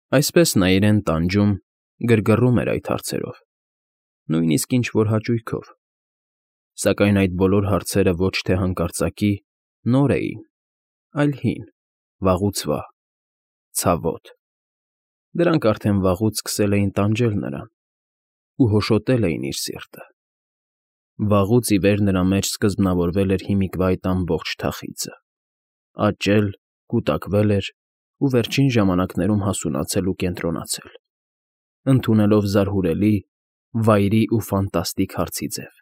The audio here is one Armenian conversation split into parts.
Այսպես նա իրեն տանջում, գրգռում էր այդ հարցերով, նույնիսկ ինչ֊որ հաճույքով, սակայն այդ բոլոր հարցերը ոչ թե հանկարծակի նոր էին, այլ հին, վաղուց վահ, ցավոտ. դրանք արդեն վաղուց սկսել էին տանջել նրան ու հոշոտել էին իր սիրտը. վաղուց ի վեր նրա մեջ սկզբնավորվել էր հիմիկվա այդ ամբողջ թախիծը, աճել, կուտակվել էր ու վերջին ժամանակներում հասունացել ու կենտրոնացել, ընդունելով զարհուրելի, վայրի ու ֆանտաստիկ հարցի ձև,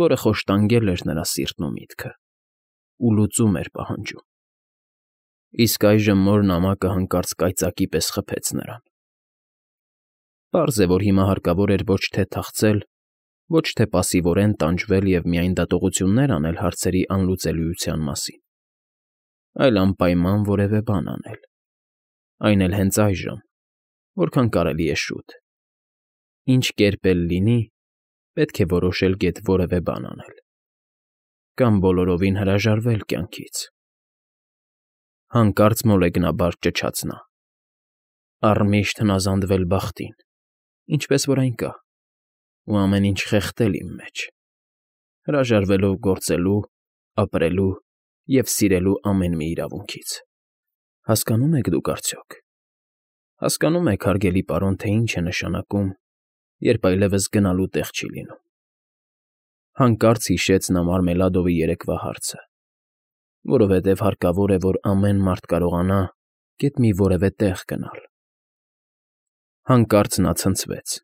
որը խոշտանգել էր նրա սիրտն ու միտքը ու լուծում էր պահանջում. իսկ այժմ մոր նամակը հանկարծ կայծակի պես խփեց նրան. պարզ է, որ հիմա հարկավոր էր ոչ թե թախծել, ոչ թե պասիվորեն տանջվել և միայն դատողություններ անել հարցերի անլուծելիության մասին, այլ անպայման որևէ բան անել, այն էլ հենց այժմ, որքան կարելի է շուտ, ինչ կերպ էլ լինի, պետք է որոշել գեթ որևէ բան անել, կամ բոլորովին հրաժարվել կյանքից. հանկարծ մոլեգնաբար ճչաց նա. առմիշտ հնազանդվել բախտին, ինչպես որ այն կա, ու ամեն ինչ խեղդել իմ մեջ, հրաժարվելով գործելու, ապրելու և սիրելու ամեն մի իրավունքից. հասկանո՞ւմ եք դուք արդյոք, հասկանո՞ւմ եք, հարգելի պարոն, թե ինչ է նշանակում, երբ այլևս գնալու տեղ չի լինում… Հանկարծ հիշեց նա Մարմելադովի երեկվա հարցը, որովհետև հարկավոր է, որ ամեն մարդ կարողանա գեթ մի որևէ տեղ գնալ… Հանկարծ նա ցնցվեց.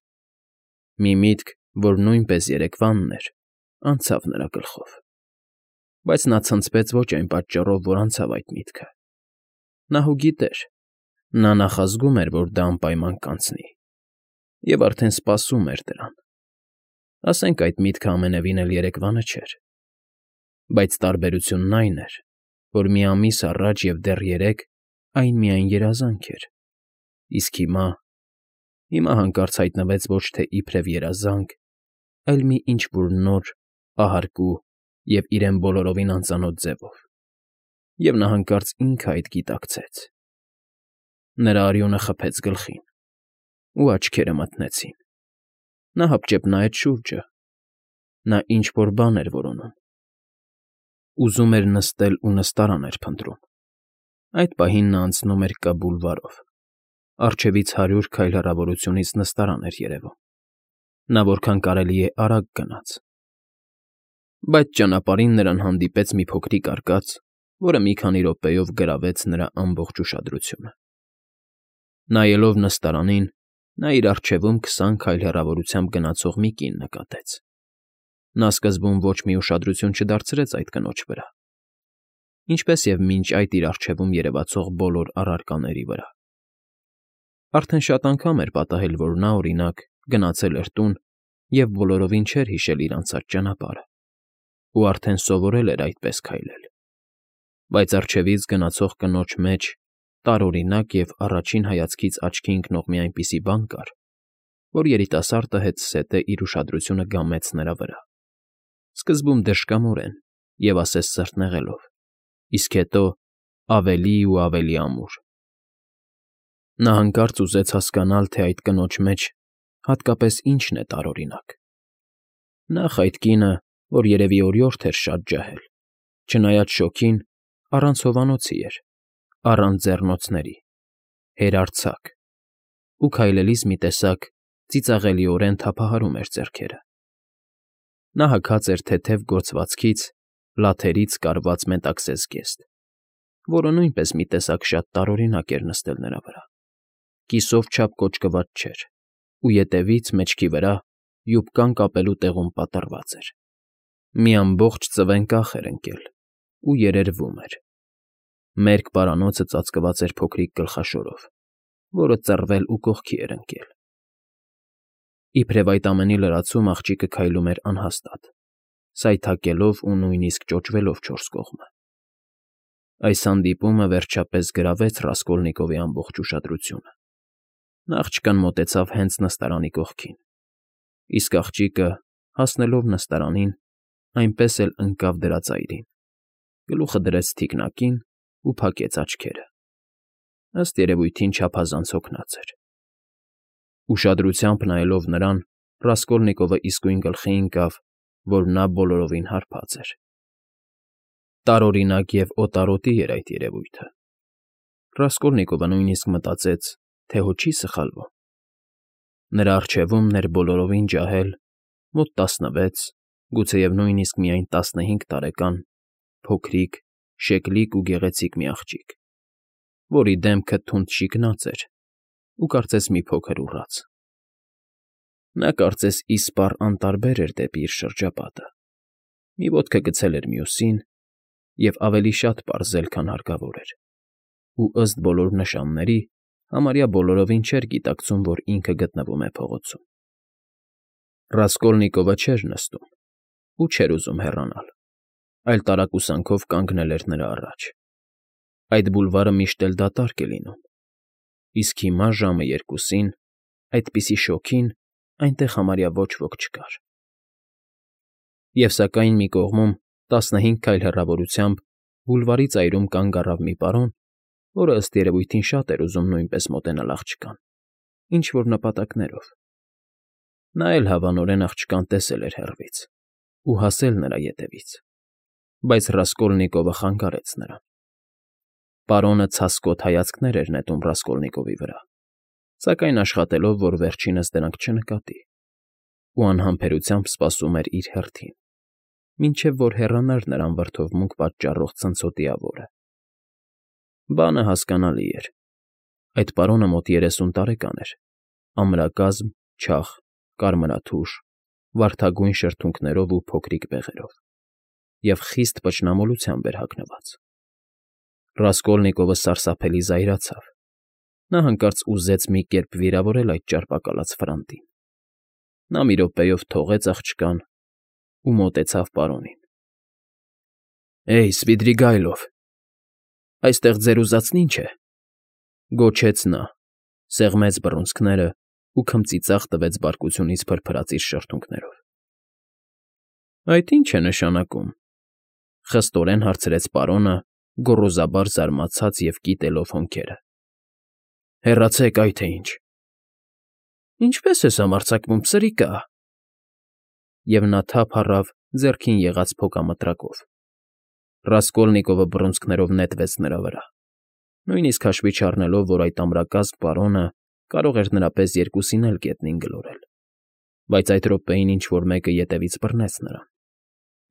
մի միտք, որ նույնպես երեկվանն էր, անցավ նրա գլխով, բայց նա ցնցվեց ոչ այն պատճառով, որ անցավ այդ միտքը. նա հո գիտեր, նա նախազգում էր, որ դա անպայման կանցնի, և արդեն սպասում էր դրան, ասենք այդ միտքը ամենևին էլ երեկվանը չէր, բայց տարբերությունն այն էր, որ մի ամիս առաջ և դեռ երեկ այն միայն երազանք էր, իսկ հիմա հանկարծ հայտնվեց ոչ թե իբրև երազանք, այլ մի ինչ֊որ նոր, ահարկու և իրեն բոլորովին անծանոթ ձևով, և նա հանկարծ ինքը այդ գիտակցեց… Նրա արյունը խփեց գլխին, ու աչքերը մթնեցին, նա հապճեպ նայեց շուրջը, նա ինչ֊որ բան էր որոնում… Ուզում էր նստել ու նստարան էր փնտրում… Այդ պահին նա անցնում էր Կ բուլվարով, առջևից 100 քայլ հեռավորությունից նստարան էր երևում, նա որքան կարելի է արագ գնաց… Բայց ճանապարհին նրան հանդիպեց մի փոքրիկ արկած, որը մի քանի րոպեով գրավեց նրա ամբողջ ուշադրությունը… Նայելով նստարանին, նա իր առջևում 20 քայլ հեռավորությամբ գնացող մի կին նկատեց… Նա սկզբում ոչ մի ուշադրություն չդարձրեց այդ կնոջ վրա, ինչպես և մինչ այդ իր առջևում երևացող բոլոր առարկաների վրա… Արդեն շատ անգամ էր պատահել, որ նա, օրինակ, գնացել էր տուն և բոլորովին չէր հիշել իր անցած ճանապարհը ու արդեն սովորել էր այդպես քայլել… Բայց առջևից գնացող կնոջ մեջ տարօրինակ և առաջին հայացքից աչքի ընկնող մի այնպիսի բան կար, որ երիտասարդը հետզհետե իր ուշադրությունը գամեց նրա վրա, սկզբում դժկամորեն և ասես սրտնեղելով, իսկ հետո ավելի ու ավելի ամուր… Նա հանկարծ ուզեց հասկանալ, թե այդ կնոջ մեջ հատկապես ինչն է տարօրինակ… Նախ այդ կինը, որ երևի օրիորդ էր շատ ջահել, չնայած շոգին, առանց հովանոցի էր, առանց ձեռնոցների, հերարձակ, ու քայլելիս մի տեսակ ծիծաղելիորեն թափահարում էր ձեռքերը… Նա հագած էր թեթև գործվածքից, լաթերից կարված մետաքսե զգեստ, որը նույնպես մի տեսակ շատ տարօրինակ էր նստել նրա վրա, կիսով չափ կոճկված չէր ու ետևից, մեջքի վրա, յուբկան կապելու տեղում պատռված էր… Մի ամբողջ ծվեն կախ էր ընկել ու երերվում էր… Մերկ պարանոցը ծածկված էր փոքրիկ գլխաշորով, որը ծռվել ու կողքի էր ընկել… Իբրև այդ ամենի լրացում աղջիկը քայլում էր անհաստատ, սայթաքելով ու նույնիսկ ճոճվելով չորս կողմը… Այս հանդիպումը, վերջապես, գրավեց Ռասկոլնիկովի ամբողջ ուշադրությունը… Նա աղջկան մոտեցավ հենց նստարանի կողքին, իսկ աղջիկը, հասնելով նստարանին, այնպես էլ ընկավ դրա ծայրին, գլուխը դրեց թիկնակին ու փակեց աչքերը… ըստ երևույթին չափազանց հոգնած էր։ Ուշադրությամբ նայելով նրան, Ռասկոլնիկովը իսկույն գլխի ընկավ, որ նա բոլորովին հարբած էր։ Տարօրինակ և օտարոտի էր այդ երևույթը։ Ռասկոլնիկովը նույնիսկ մտածեց, թե հո չի սխալվում։ Նրա առջևում ներ բոլորովին ջահել, մոտ 16, գուցեև նույնիսկ միայն 15 տարեկան, փոքրիկ, շեկլիկ ու գեղեցիկ մի աղջիկ, որի դեմքը թունդ շիկնած էր ու կարծես մի փոքր ուռած։ Նա կարծես իսպառ անտարբեր էր դեպի իր շրջապատը, մի ոտքը գցել էր մյուսին և ավելի շատ պարզել, քան հարկավոր էր, ու ըստ բոլոր նշանների, համարյա բոլորովին չէր գիտակցում, որ ինքը գտնվում է փողոցում։ Ռասկոլնիկովը չէր նստում ու չէր ուզում հեռանալ, այլ տարակուսանքով կանգնել էր նրա առաջ։ Այդ բուլվարը միշտ էլ դատարկ է լինում, իսկ հիմա ժամը 2-ին, այդպիսի շոգին, այնտեղ համարյա ոչ ոք չկար։ Եվ սակայն մի կողմում, 15 քայլ հեռավորությամբ, բուլվարի ծայրում կանգ առավ մի պարոն, որը ըստ երևույթին շատ էր ուզում նույնպես մոտենալ աղջկան, ինչ֊որ նպատակներով։ Նա էլ հավանորեն աղջկան տեսել էր հեռվից ու հասել նրա ետևից, բայց Ռասկոլնիկովը խանգարեց նրան։ Պարոնը ցասկոտ հայացքներ էր նետում Ռասկոլնիկովի վրա, սակայն աշխատելով, որ վերջինս դրանք չնկատի, ու անհամբերությամբ սպասում էր իր հերթին, մինչև որ հեռանար նրան վրդովմունք պատճառող ցնցոտիավորը։ Բանը հասկանալի էր։ Այդ պարոնը մոտ 30 տարեկան էր, ամրակազմ, չաղ, կարմրաթուշ, վարդագույն շրթունքներով ու փոքրիկ բեղերով, և խիստ պճնամոլությամբ էր հագնված։ Ռասկոլնիկովը սարսափելի զայրացավ։ Նա հանկարծ ուզեց մի կերպ վիրավորել այդ ճարպակալած ֆրանտին։ Նա մի րոպեով թողեց աղջկան ու մոտեցավ պարոնին։ ֊ Էյ, Սվիդրիգայլով, այստեղ ձեր ուզածն ի՞նչ է,֊ գոչեց նա, սեղմեց բռունցքները ու քմծիծաղ տվեց բարկությունից փրփրած իր շրթունքներով։ ֊ Այդ ի՞նչ է նշանակում,֊ խստորեն հարցրեց պարոնը, գոռոզաբար զարմացած և կիտելով հոնքերը։ ֊ Հեռացեք, այ թե ինչ։ ֊ Ինչպե՞ս ես համարձակվում, պսրիկա… Եվ նա թափ առավ ձեռքին եղած փոքամտրակով։ Ռասկոլնիկովը բռունցքներով նետվեց նրա վրա, նույնիսկ հաշվի չառնելով, որ այդ ամրակազմ պարոնը կարող էր նրա պես երկուսին էլ գետնին գլորել, բայց այդ րոպեին ինչ֊որ մեկը ետևից բռնեց նրան,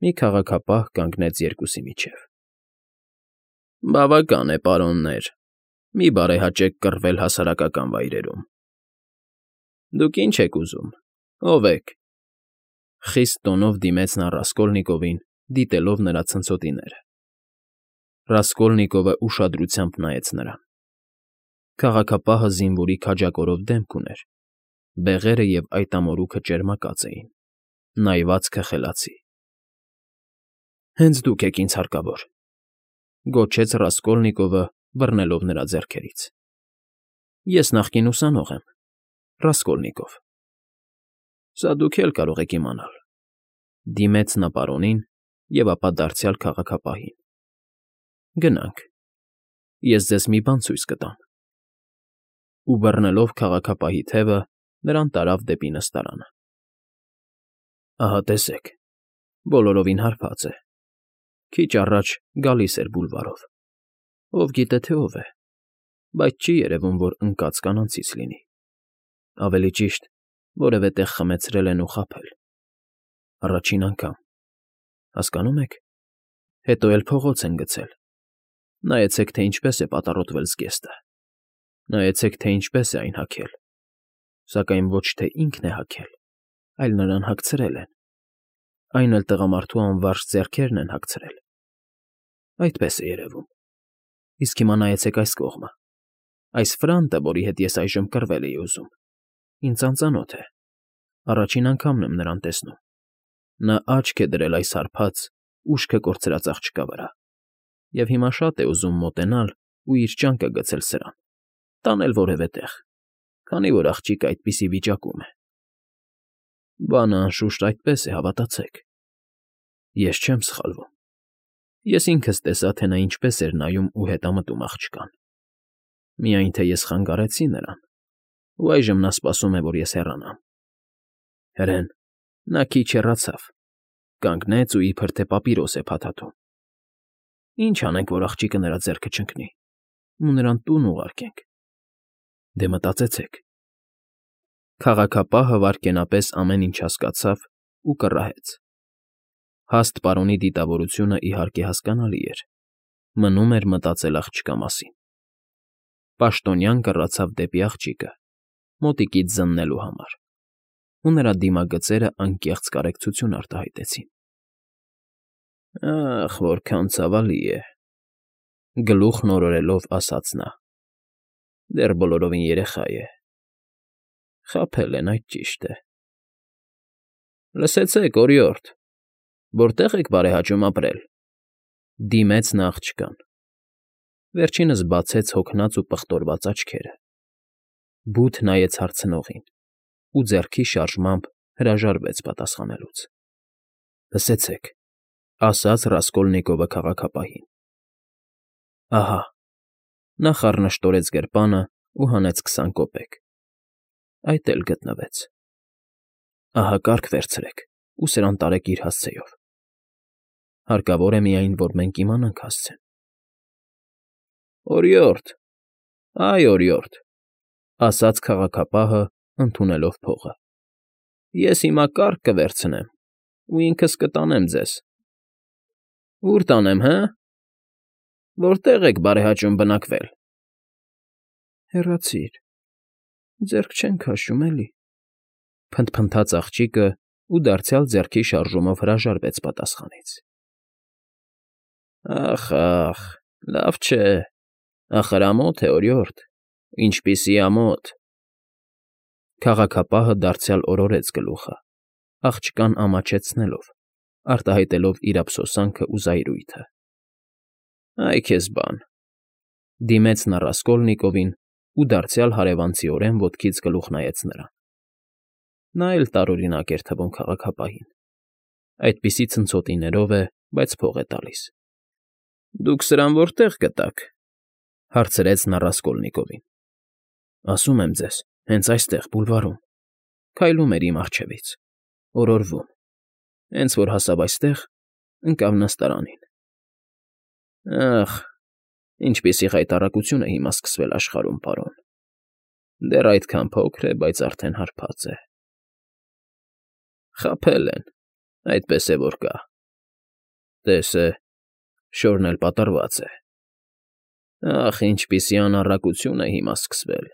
մի քաղաքապահ կանգնեց երկուսի միջև։ ֊ Բավական է, պարոններ, մի բարեհաճեք կռվել հասարակական վայրերում։ ֊ Դուք ի՞նչ եք ուզում, ով եք,֊ խիստ տոնով դիմեց նա Ռասկոլնիկովին, դիտելով նրա ցնցոտիները։ Ռասկոլնիկովը ուշադրությամբ նայեց նրան։ Քաղաքապահը զինվորի քաջակորով դեմք ուներ, բեղերը և այդ ամորուքը ճերմակած էին, նայվածքը խելացի։ ֊ Հենց դուք եք ինձ հարկավոր,֊ գոչեց Ռասկոլնիկովը, բռնելով նրա ձեռքերից։ ֊ Ես նախկին ուսանող եմ, Ռասկոլնիկով։ ֊ Սա դուք էլ կարող եք իմանալ,֊ դիմեց նա պարոնին և ապա դարձյալ քաղաքապահին։ ֊ Գնանք, ես ձեզ մի բան ցույց կտամ։ Ու բռնելով քաղաքապահի թևը, նրան տարավ դեպի նստարանը։ Ահա տեսեք, բոլորովին հարբած է, քիչ առաջ գալիս էր բուլվարով, ով գիտե թե ով է, բայց չի երևում, որ ընկած կանանցից լինի, ավելի ճիշտ, որևէ տեղ խմեցրել են ու խաբել։ Առաջին անգամ, հասկանո՞ւմ եք, հետո էլ փողոց են գցել։ Նայեցեք, թե ինչպես է պատառոտվել զգեստը, նայեցեք, թե ինչպես է այն հագել, սակայն ոչ թե ինքն է հագել, այլ նրան հագցրել են, այն էլ տղամարդու անվարժ ձեռքերն են հագցրել։ Այդպես է երևում։ Իսկ հիմա նայեցեք այս կողմը, այս ֆրանտը, որի հետ ես այժմ կռվել էի ուզում, ինձ անծանոթ է, առաջին անգամն եմ նրան տեսնում։ Նա աչք է դրել այս հարբած, ուշքը կորցրած աղջկա վրա, և հիմա շատ է ուզում մոտենալ ու իր ճանկը գցել սրան, տանել որևէ տեղ, քանի որ աղջիկը այդպիսի վիճակում է։ Բանը, անշուշտ, այդպես է, հավատացեք։ Ես չեմ սխալվում։ Ես ինքս տեսա, թե նա ինչպես էր նայում ու հետամտում աղջկան։ Միայն թե ես խանգարեցի նրան, ու այժմ նա սպասում է, որ ես հեռանամ։ Հրեն, նա քիչ հեռացավ, կանգնեց ու իբր թե պապիրոս է փաթաթում։ Ինչ անենք, որ աղջիկը նրա ձեռքը չընկնի ու նրան տուն ուղարկենք։ Դե մտածեցեք։ Քաղաքապահը վայրկենապես ամեն ինչ հասկացավ ու կռահեց։ Հաստ պարոնի դիտավորությունը, իհարկե, հասկանալի էր, մնում էր մտածել աղջկա մասին։ Պաշտոնյան կռացավ դեպի աղջիկը, մոտիկից զննելու համար, ու նրա դիմագծերը անկեղծ կարեկցություն արտահայտեցին։ Ախ, որքան ցավալի է, գլուխն օրորելով ասաց նա։ Դեռ բոլորովին երեխա է։ Խաբել են, այդ ճիշտ է։ Լսեցեք, օրիորդ, որտե՞ղ եք բարեհաճում ապրել, դիմեց նա աղջկան։ Վերջինս բացեց հոգնած ու պղտորված աչքերը, բութ նայեց հարցնողին ու ձեռքի շարժմամբ հրաժարվեց պատասխանելուց։ Լսեցեք, ասաց Ռասկոլնիկովը քաղաքապահին։ Ահա, նա խառնշտորեց գրպանը ու հանեց 20 կոպեկ։ Այդ էլ գտնվեց։ Ահա կարգ վերցրեք ու սրան տարեք իր հասցեով։ Հարկավոր է միայն, որ մենք իմանանք հասցեն։ Օրիորդ, այ օրիորդ, ասաց քաղաքապահը, ընդունելով փողը։ Ես հիմա կարգ կվերցնեմ ու ինքս կտանեմ ձեզ։ Ուր տանեմ, հը։ Որտե՞ղ եք բարեհաճում բնակվել։ Հեռացիր, ձեռք չեն քաշում, էլի, փնթփնթաց աղջիկը ու դարձյալ ձեռքի շարժումով հրաժարվեց պատասխանից։ Ախ, լավ չէ, ախր ամոթ է, օրիորդ, ինչպիսի ամոթ։ Քաղաքապահը դարձյալ օրորեց գլուխը, աղջկան ամաչեցնելով, արտահայտելով իր ափսոսանքն ու զայրույթը։ Այ քեզ բան, դիմեց նա Ռասկոլնիկովին ու դարձյալ հարևանցիորեն ոտքից գլուխ նայեց նրան։ Նա էլ տարօրինակ էր թվում քաղաքապահին։ Այդպիսի ցնցոտիներով է, բայց փող է տալիս։ Դուք սրան որտե՞ղ գտաք, հարցրեց նա Ռասկոլնիկովին։ Ասում եմ ձեզ, հենց այստեղ, բուլվարում, քայլում էր իմ առջևից, օրորվում, հենց որ հասավ այստեղ, ընկավ նստարանին։ Ախ, ինչպիսի խայտառակություն է հիմա սկսվել աշխարհում, պարոն։ Դեռ այդքան փոքր է, բայց արդեն հարբած է։ Խաբել են, այդպես է որ կա։ Տես է, շորն էլ պատռված է։ Ախ, ինչպիսի անառակություն է հիմա սկսվել։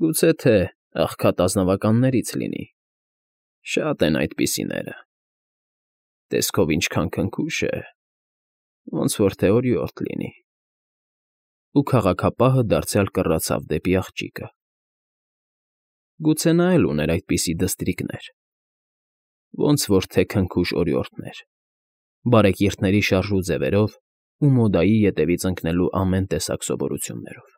Գուցե թե աղքատ ազնվականներից լինի։ Շատ են այդպիսիները։ Տեսքով ինչքան քնքուշ է, ոնց որ թե օրիորդ լինի։ Ու քաղաքապահը դարձյալ կռացավ դեպի աղջիկը։ Գուցե նա էլ ուներ այդպիսի դստրիկներ, ոնց որ թե քնքուշ օրիորդներ, բարեկիրթների շարժու ձևերով ու մոդայի ետևից ընկնելու ամեն տեսակ սովորություններով։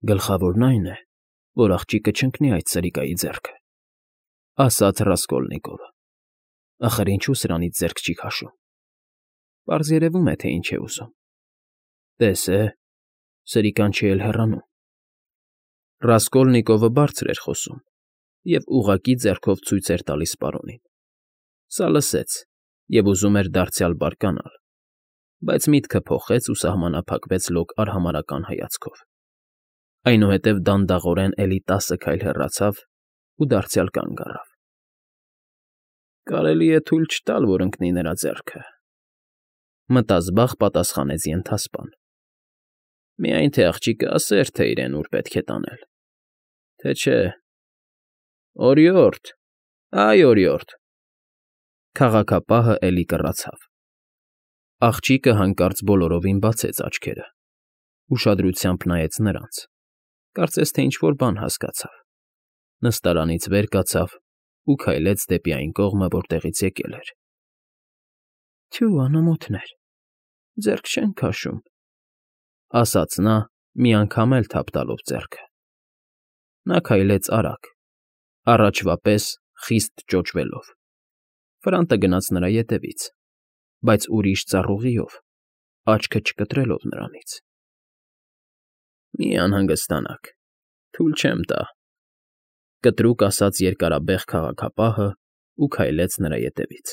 Գլխավորն այն է, որ աղջիկը չընկնի այդ սրիկայի ձեռքը, ասաց Ռասկոլնիկովը։ Ախր ինչու սրանից ձեռք չի քաշում։ Պարզ երևում է, թե ինչ է ուզում։ Տես է, սրիկան չի էլ հեռանում։ Ռասկոլնիկովը բարձր էր խոսում և ուղղակի ձեռքով ցույց էր տալիս պարոնին։ Սա լսեց և ուզում էր դարձյալ բարկանալ, բայց միտքը փոխեց ու սահմանափակվեց լոկ արհամարհական հայացքով։ Այնուհետև դանդաղորեն էլի 10 քայլ հեռացավ ու դարձյալ կանգ առավ։ Կարելի է թույլ չտալ, որ ընկնի նրա ձեռքը, մտազբաղ պատասխանեց ենթասպան։ Միայն թե աղջիկը ասեր, թե իրեն ուր պետք է տանել, թե չէ։ Օրիորդ, այ օրիորդ։ Քաղաքապահը էլի կռացավ։ Աղջիկը հանկարծ բոլորովին բացեց աչքերը, ուշադրությամբ նայեց նրանց, կարծես թե ինչ֊որ բան հասկացավ, նստարանից վեր կացավ ու քայլեց դեպի այն կողմը, որտեղից եկել էր։ Թյու, անամոթներ, ձեռք չեն քաշում, ասաց նա, մի անգամ էլ թափ տալով ձեռքը։ Նա քայլեց արագ, առաջվա պես խիստ ճոճվելով։ Ֆրանտը գնաց նրա ետևից, բայց ուրիշ ծառուղիով, աչքը չկտրելով նրանից։ Մի անհանգստանաք, թույլ չեմ տա,֊ կտրուկ ասաց երկարաբեղ քաղաքապահն ու քայլեց նրա ետևից։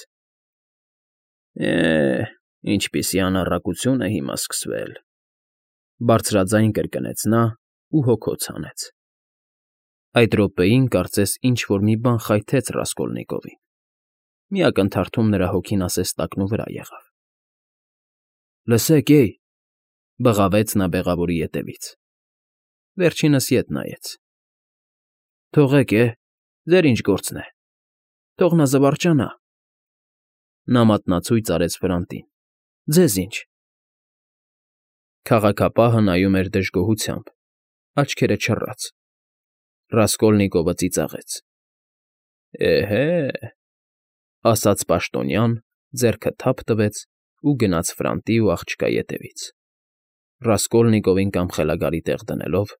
Ինչպիսի անառակություն է հիմա սկսվել,֊ բարձրաձայն կրկնեց նա ու հոգոց հանեց։ Այդ րոպեին կարծես ինչ֊որ մի բան խայթեց Ռասկոլնիկովին, մի ակնթարթում նրա հոգին ասես տակնուվրա եղավ։ «Լսեք, էյ,֊ բղավեց նա բեղավորի ետևից։ Վերջինս ետ նայեց։ «Թողեք, ձեր ինչ գործն է, թող նա զվարճանա,֊ նա մատնացույց արեց վրանտին,֊ ձեզ ինչ»։ Քաղաքապահը նայում էր դժգոհությամբ, աչքերը չռած։ Ռասկոլնիկովը ծիծաղեց։ Էհե,֊ ասաց պաշտոնյան, ձեռքը թափ տվեց ու գնաց ֆրանտի ու աղջկա ետևից, Ռասկոլնիկովին կամ խելագարի տեղ դնելով,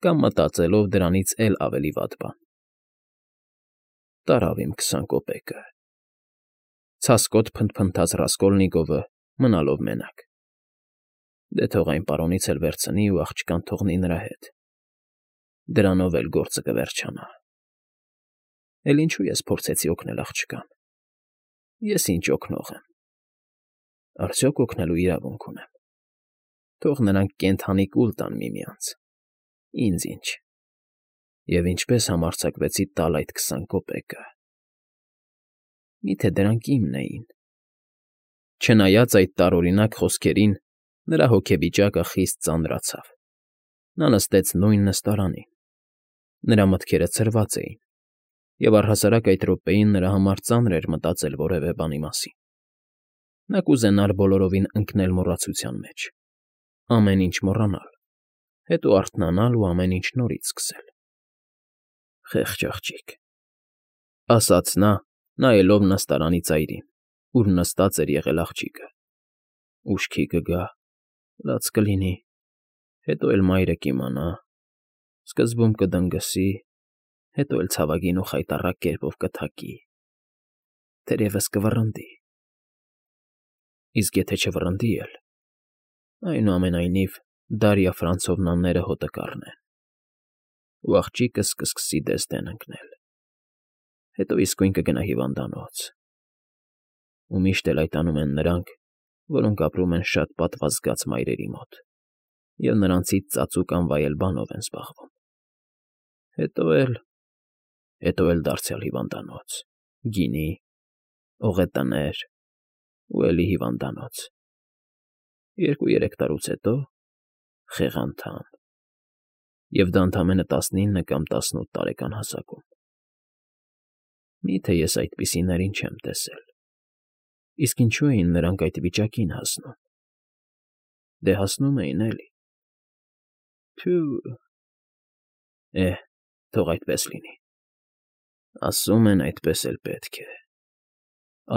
կամ մտածելով դրանից էլ ավելի վատ բան։ Տարավ իմ 20 կոպեկը,֊ ցասկոտ փնթփնթաց Ռասկոլնիկովը, մնալով մենակ։ Դե թող այն պարոնից էլ վերցնի ու աղջկան թողնի նրա հետ։ Դրանով էլ գործը կվերջանա։ Էլ ինչու ես փորձեցի օգնել աղջկան։ Ես ինչ օգնող եմ։ Արդյոք օգնելու իրավունք ունեմ։ Թող նրանք կենդանի կուլ տան միմյանց։ Ինձ ինչ։ Եվ ինչպես համարձակվեցի տալ այդ 20 կոպեկը։ Միթե դրանք իմն էին։ Չնայած այդ տարօրինակ խոսքերին, նրա հոգեվիճակը խիստ ծանրացավ։ Նա նստեց նույն նստարանին։ Նրա մտքերը ցրված էին, և առհասարակ այդ րոպեին նրա համար ծանր էր մտածել որևէ բանի մասին։ Նա կուզենար բոլորովին ընկնել մոռացության մեջ, ամեն ինչ մոռանալ, հետո արթնանալ ու ամեն ինչ նորից սկսել։ Խեղճ աղջիկ,֊ ասաց նա, նայելով նստարանի ծայրին, ուր նստած էր եղել աղջիկը։ Ուշքի կգա, լաց կլինի, հետո էլ մայրը կիմանա, սկզբում կդնգսի, հետո էլ ցավագին ու խայտառակ կերպով կթակի, թերևս կվռնդի։ Իսկ եթե չվռնդի էլ, այնուամենայնիվ Դարիա Ֆրանցովնաները հոտը կառնեն, ու աղջիկս կսկսի դես֊դեն ընկնել, հետո իսկույն կգնա հիվանդանոց։ Ու միշտ էլ այդ անում են նրանք, որոնք ապրում են շատ պատվազգաց մայրերի մոտ և նրանցից ծածուկ անվայել բանով են զբաղվում։ Հետո էլ դարձյալ հիվանդանոց, գինի, օղետներ ու էլի հիվանդանոց։ 2-3 տարուց հետո խեղանթամ, և դա ընդամենը 19 կամ 18 տարեկան հասակում։ Միթե ես այդպիսիներին չեմ տեսել։ Իսկ ինչու էին նրանք այդ վիճակին հասնում։ Դե հասնում էին, էլի։ Թյո՛ւ… Թող այդպես լինի։ Ասում են, այդպես էլ պետք է։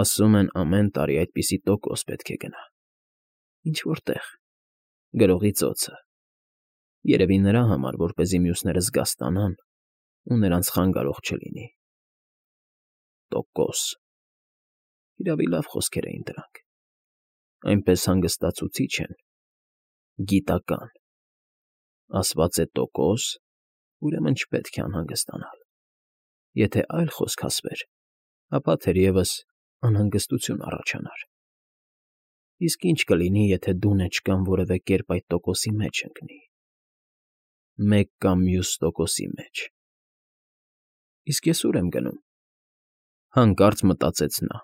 Ասում են, ամեն տարի այդպիսի տոկոս պետք է գնա։ Ինչ֊որ տեղ, գրողի ծոցը։ Երևի նրա համար, որպեսզի մյուսները զգաստանան, ու նրանց խանգարող չլինի։ Տոկոս… Իրավի լավ խոսքեր էին դրանք։ Այնպես հանգստացուցիչ են, գիտական։ Ասված է տոկոս, ուրեմն չպետք է անհանգստանալ։ Եթե այլ խոսք ասվեր, ապա թերևս անհանգստություն առաջանար։ Իսկ ինչ կլինի, եթե դունեչկան որևէ կերպ այդ տոկոսի մեջ ընկնի։ Մեկ կամ մյուս տոկոսի մեջ։ Իսկ ես ուր եմ գնում։ Հանկարծ մտածեց նա։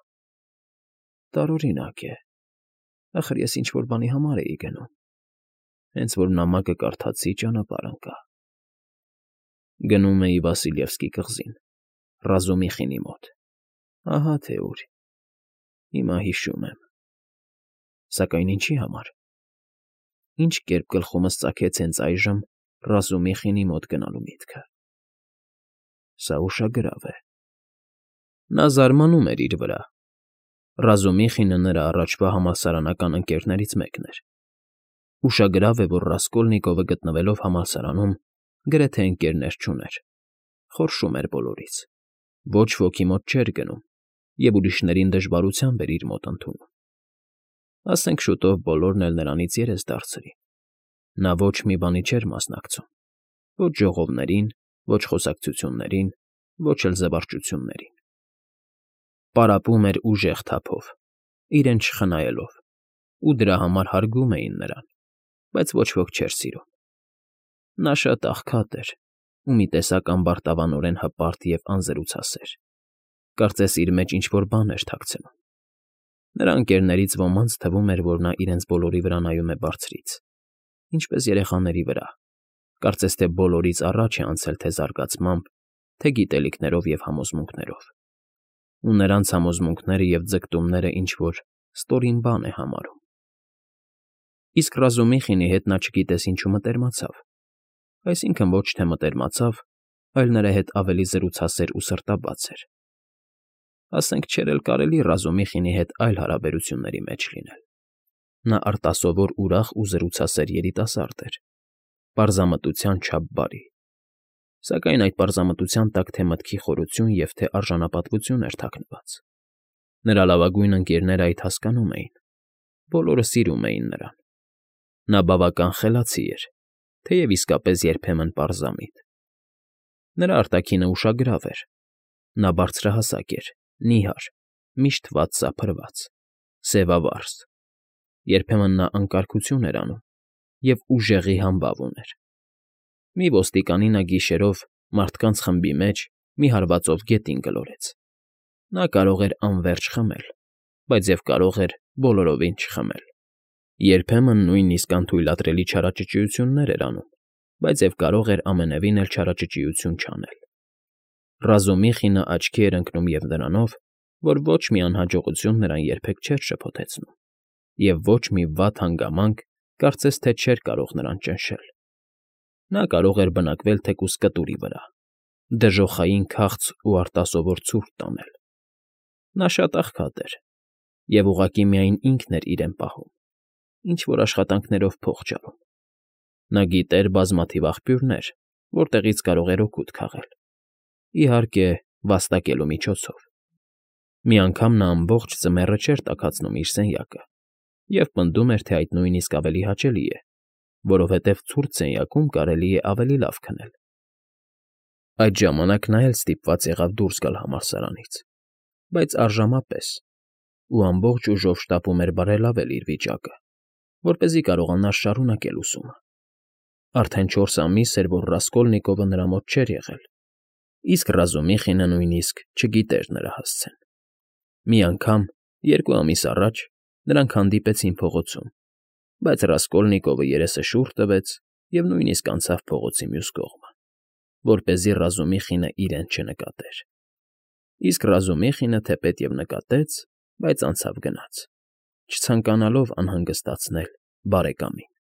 Տարօրինակ է։ Ախր ես ինչ֊որ բանի համար էի գնում։ Հենց որ նամակը կարդացի, ճանապարհ ընկա։ Գնում էի Վասիլևսկի կղզին, Ռազումիխինի մոտ։ Ահա թե ուր։ Հիմա հիշում եմ։ Սակայն ինչի համար։ Ինչ կերպ գլխումս ծագեց հենց այժմ Ռազումիխինի մոտ գնալու միտքը։ Սա ուշագրավ է։ Նա զարմանում էր իր վրա։ Ռազումիխինը նրա առաջվա համալսարանական ընկերներից մեկն էր։ Ուշագրավ է, որ Ռասկոլնիկովը գտնվելով համալսարանում, գրեթե ընկերներ չուներ, խորշում էր բոլորից, ոչ ոքի մոտ չէր գնում և ուրիշներին դժվարությամբ էր իր մոտ ընդունում։ Ասենք շուտով բոլորն էլ նրանից երես դարձրին, Նա ոչ մի բանի չէր մասնակցում. ոչ ժողովներին, ոչ խոսակցություններին, ոչ էլ զվարճություններին. պարապում էր ուժեղ թափով, իրեն չխնայելով, ու դրա համար հարգում էին նրան, բայց ոչ ոք չէր սիրում. նա շատ աղքատ էր ու մի տեսակ ամբարտավանորեն հպարտ և անզրուցասեր, կարծես իր մեջ ինչ֊որ բան էր թաքցնում. նրա ընկերներից ոմանց թվում էր, որ նա իրենց բոլորի վրա նայում է բարձրից, ինչպես երեխաների վրա, կարծես թե բոլորից առաջ է անցել թե զարգացմամբ, թե գիտելիքներով և համոզմունքներով, ու նրանց համոզմունքները և ձգտումները ինչ֊որ ստորին բան է համարում։ Իսկ Ռազումիխինի հետ նա չգիտես ինչու մտերմացավ, այսինքն ոչ թե մտերմացավ, այլ նրա հետ ավելի զրուցասեր ու սրտաբաց էր։ Ասենք չէր էլ կարելի Ռազումիխինի հետ այլ հարաբերությունների մեջ լինել. նա արտասովոր ուրախ ու զրուցասեր երիտասարդ էր, պարզամտության չափ բարի, սակայն այդ պարզամտության տակ թե մտքի խորություն և թե արժանապատվություն էր թաքնված։ Նրա լավագույն ընկերները այդ հասկանում էին, բոլորը սիրում էին նրան։ Նա բավական խելացի էր, թեև իսկապես երբեմն պարզամիտ։ Նրա արտաքինը ուշագրավ էր, նա բարձրահասակ էր, նիհար, միշտ վատ սափրված, սևավարս, երբեմն նա անկարգություն էր անում և ուժեղի համբավ ուներ։ Մի ոստիկանի նա գիշերով մարդկանց խմբի մեջ մի հարվածով գետին գլորեց։ Նա կարող էր անվերջ խմել, բայց և կարող էր բոլորովին չխմել։ Երբեմն նույնիսկ անթույլատրելի չարաճճիություններ էր անում, բայց և կարող էր ամենևին էլ չարաճճիություն չանել։ Ռազումիխինը աչքի էր ընկնում և նրանով, որ ոչ մի անհաջողություն նրան երբեք չէր շփոթեցնում, և ոչ մի վատ հանգամանք կարծես թե չէր կարող նրան ճնշել։ Նա կարող էր բնակվել թեկուզ կտուրի վրա, դժոխային քաղց ու արտասովոր ցուրտ տանել։ Նա շատ աղքատ էր, և ուղղակի միայն ինքն էր իրեն պահում, ինչ֊որ աշխատանքներով փող ջարում։ Նա գիտեր բազմաթիվ աղբյուրներ, որտեղից կարող էր օգուտ քաղել, իհարկե, վաստակելու միջոցով։ Մի անգամ նա ամբողջ ձմեռը չէր տաքացնում իր սենյակը և պնդում էր, թե այդ նույնիսկ ավելի հաճելի է, որովհետև ցուրտ սենյակում կարելի է ավելի լավ քնել։ Այդ ժամանակ նա էլ ստիպված եղավ դուրս գալ համալսարանից, բայց արժանապես, ու ամբողջ ուժով շտապում էր բարելավել իր վիճակը, որպեսզի կարողանար շարունակել ուսումը։ Արդեն 4 ամիս էր, որ Ռասկոլնիկովը նրա մոտ չէր եղել, իսկ Ռազումիխինը նույնիսկ չգիտեր նրա հասցեն։ Մի անգամ, 2 ամիս առաջ, նրանք հանդիպեցին փողոցում, բայց Ռասկոլնիկովը երեսը շուռ տվեց և նույնիսկ անցավ փողոցի մյուս կողմը, որպեսզի Ռազումիխինը իրեն չնկատեր։ Իսկ Ռազումիխինը թեպետ և նկատեց, բայց անցավ գնաց, չցանկանալով անհանգստացնել բարեկամին։